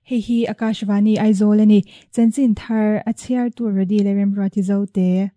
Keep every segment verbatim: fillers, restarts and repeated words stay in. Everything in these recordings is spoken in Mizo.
Hei hi Akashvani Aizawl a ni. Chanchin thar a chhiartu Rody leh Remruati Zote.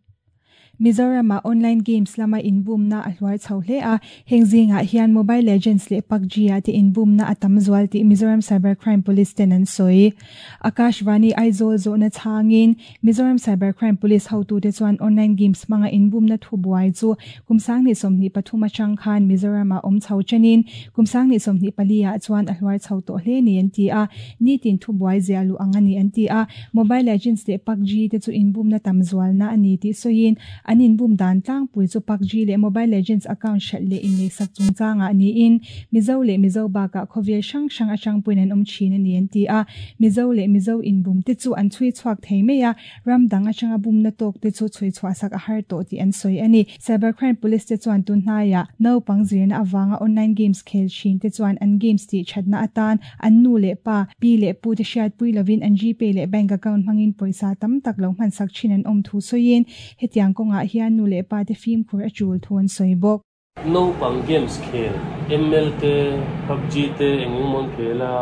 Mizoram-ah online games lama inbumna a hluar chho hle a, heng zingah hian Mobile Legends leh PUBG-ah te inbumna a tam zual tih Mizoram Cyber Crime Police ten an sawi. Akashvani Aizawl zawhna chhangin Mizoram Cyber Crime Police hotute chuan online games hmanga inbumna thu buai chu kum sanghnih sawmhnih pathum atang khan Mizoram-ah awm chho chenin kum sanghnih sawmhnih pali-ah chuan a hluar chho tawh hle ni an ti a, nitin thu buai zia luh ang a ni an ti a, Mobile Legends leh PUBG te chu inbumna tam zualna a ni tih sawiin an inbum dan tlangpui chu PUBG leh Mobile Legends account hralh leh inleisak chungchangah niin Mizo leh Mizo bakah khawvel hrang hrang atangpuiin an awm thin a ni an ti a, Mizo leh Mizo inbum te chu an chhui chhuak thei mai a, ram dang atanga bumna tawk te chu chhui chhuah sak a har tawh tih an sawi a ni. Cybercrime Police te chuan tunhnaiah naupang zirna avanga online games khel thin te chuan an games tih thatna atan an nu leh pa, pi leh pu te hriatpui lovin an GPay leh bank account hmangin pawisa tam tak lo hmansak thin an awm thu sawiin hetiang kawngah hian nu leh pa te fimkhur a tul thu an sawi bawk. Naupang games khel M L te, PUBG te engemaw khel a,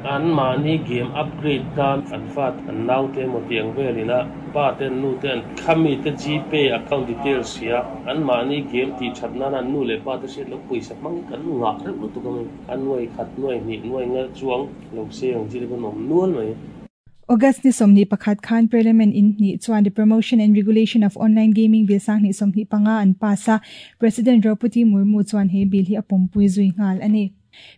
an mahni game upgrade nan an fat an nau te emaw tiang velin a, pa te an nu te an khami te GPay account details sia, an mahni game tih that nan an nu leh pa te hriat lo pawisa hmangin kan ngah reuh lutuk a mai, an nuai khat nuai hnih nuai nga chuang lo se ang chi te pawh an awm nual mai. August ni sawmhnih pakhat khan Parliament in hnih chuan the Promotion and Regulation of Online Gaming Bill sanghnih sawmhnih panga an pass a, President Draupadi Murmu chuan he bill hi a pawmpui zui nghal a ni.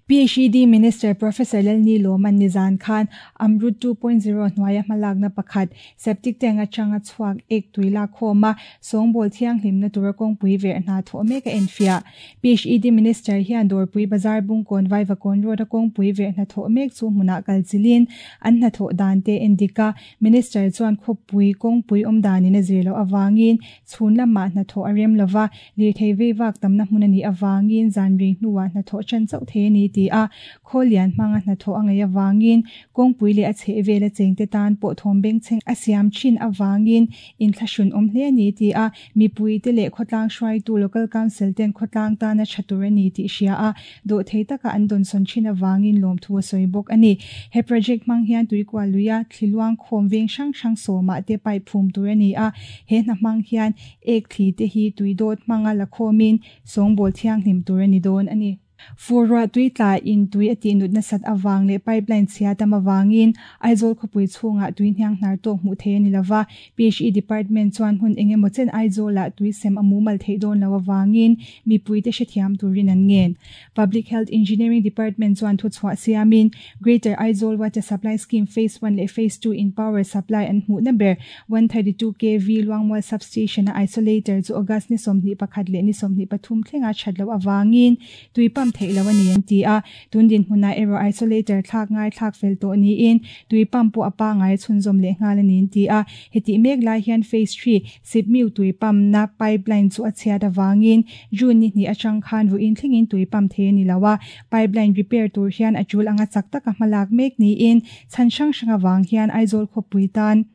P H E D Minister Professor Lalni Lawman Nizan Khan Amrut two point zero hnuaia hmalakna pakhat septic tank atanga chhuak ek tuila khawma sawngbawlh thianghlimna tura kawngpui ver hna thawh mek a enfia. P H E D Minister hian Dawrpui Bazar Bungkawn Vaivakawn Road a kawngpui ver hna thawh mek chu hmunah kalchilin an hna thawh dan te endika Minister chuan khawpui kawngpui awm danin a zir loh awangin chhun lamah hna thawh a rem lova lirthei veivak tamna hmun ani awangin zanri hnuah hna thawh chan chauh thei ani ti a khawlian hmanga hna thawh a ngei awangin kawngpui leh a chheh vel a chengte tan pawh thawm beng chheng a siam thin awangin inthlahrun awm hle ani ti a mipui te leh khawtlang hruaitu local council ten khawtlang tana tha tur ani tih hria a dawh thei taka an dawn sawn thin awangin lawm thu a sawi bawk ani. He project hmang hian tuikual luia thliluang khawm veng hrang hrang sawmah te pipe phum tur ani a, he hna hmang hian ek thli te hi tuidawt hmanga la khawmin sawngbawlh thianghlim tur ani dawn ani. Furwa tui tla in tui a tih nutna sat awang leh pipeline chhia tam awangin Aizawl khawpui chhungah tui hniang hnar tawk hmuh thei ani lova P H E Department chuan hun engemaw chen Aizawlah tui sem a mumal theih dawn lo awangin mipui te hrethiam turin an ngen. Public Health Engineering Department chuan thu chhuah siamin Greater Aizawl Water Supply Scheme Phase one leh Phase two in power supply an hmuhna ber one thirty two K V Luangmual Substation a isolator chu August ni sawmhnih pakhat leh ni sawmhnih pathum thlenga that lo awangin tui pump thei lo ani an ti a, tundin hmuna ero isolator thlak ngai thlak fel tawh niin tui pump pawh a pa ngai chhunzawm leh nghal ani an ti a, heti mek lai hian phase three sipmiu tui pump na pipeline chu a chhiat awangin June ni hnih atang khan ruin thlengin tui pump thei ani lo a, pipeline repair tur hian a tul anga chak taka hmalak mek niin chhan hrang hrang awang hian Aizawl khawpui tan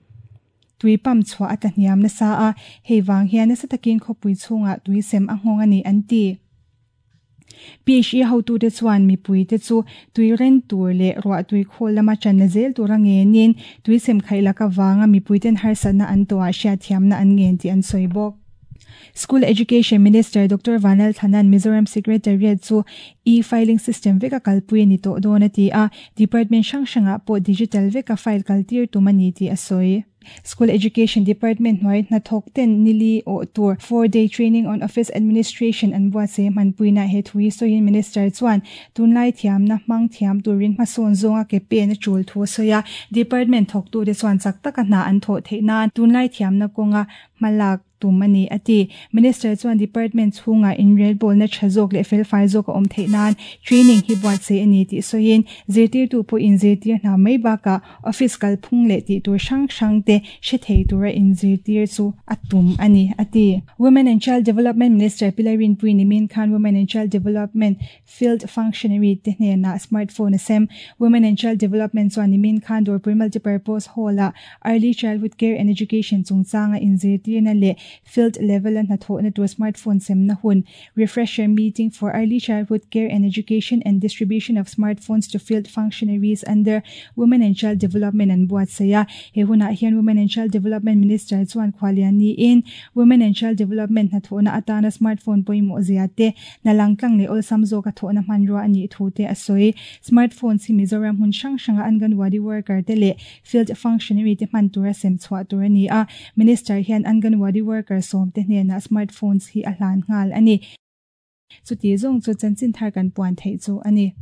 tui pump chhuah a tlahniam nasa a, hei wang hian nasa takin khawpui chhungah tui sem a nghawng ani an ti. P H E hotu te chuan mipui te chu tui ren tur leh ruah tui khawl lama channa zel tura ngenin tui sem khaih laka wanga mipui ten harsatna an tawah hriat thiamna an ngen tih an sawi bawk. School Education Minister Doctor Vanal Thanan Mizoram Secretariat chu e-filing system veka kalpui ni to dawn a ti a, department hrang hrangah pawh digital veka file kaltir tum ani tih a sawi. School Education Department hnuai hnathawk ten nili aw tur four day training on office administration an buatsaih hmanpuina he thui sawiin Minister chuan tunlai thiamna hmang thiam turin hmasawn zawnga ke pen a tul thu a sawi a, department thawk tu te chuan chak taka hna an thawh theih nan tunlai thiamna kawnga hmalak tum ani ati. Minister chuan department chhunga inrelbawlna tha zawk leh felfai zawk a awm theih nan training hi buatsaih ani tih sawiin zirtir tu pawh in zirtir hna mai bakah office kalphung leh tih tur hrang hrang te hre thei tura in zirtir chu a tum ani ati. Women and Child Development Minister Pilarin Pui nimin khan Women and Child Development Field Functionary te hnenah smartphone a sem. Women and Child Development chuan nimin khan Dawrpui Multipurpose Hall a Early Childhood Care and Education chungchanga in zirtirna leh field level a hnathawhna tur smartphone semna hun refresher meeting for early childhood care and education and distribution of smartphones to field functionaries under Women and Child Development an buatsaih a. He hunah hian Women and Child Development Minister chuan khualian niin Women and Child Development hnathawhna atana smartphone pawimawh zia te hna langtlang leh awlsam zawk a thawhna hmanrua a nih thu te a sawi. Smartphones hi Mizoram hmun hrang hranga Anganwadi worker te leh field functionary te hman tura sem chhuah tur a ni a. Minister hian Anganwadi worker sawm te hnenah smartphones hi a hlan nghal a ni. Chuti zawng chu chanchin thar kan puan theih chu a ni.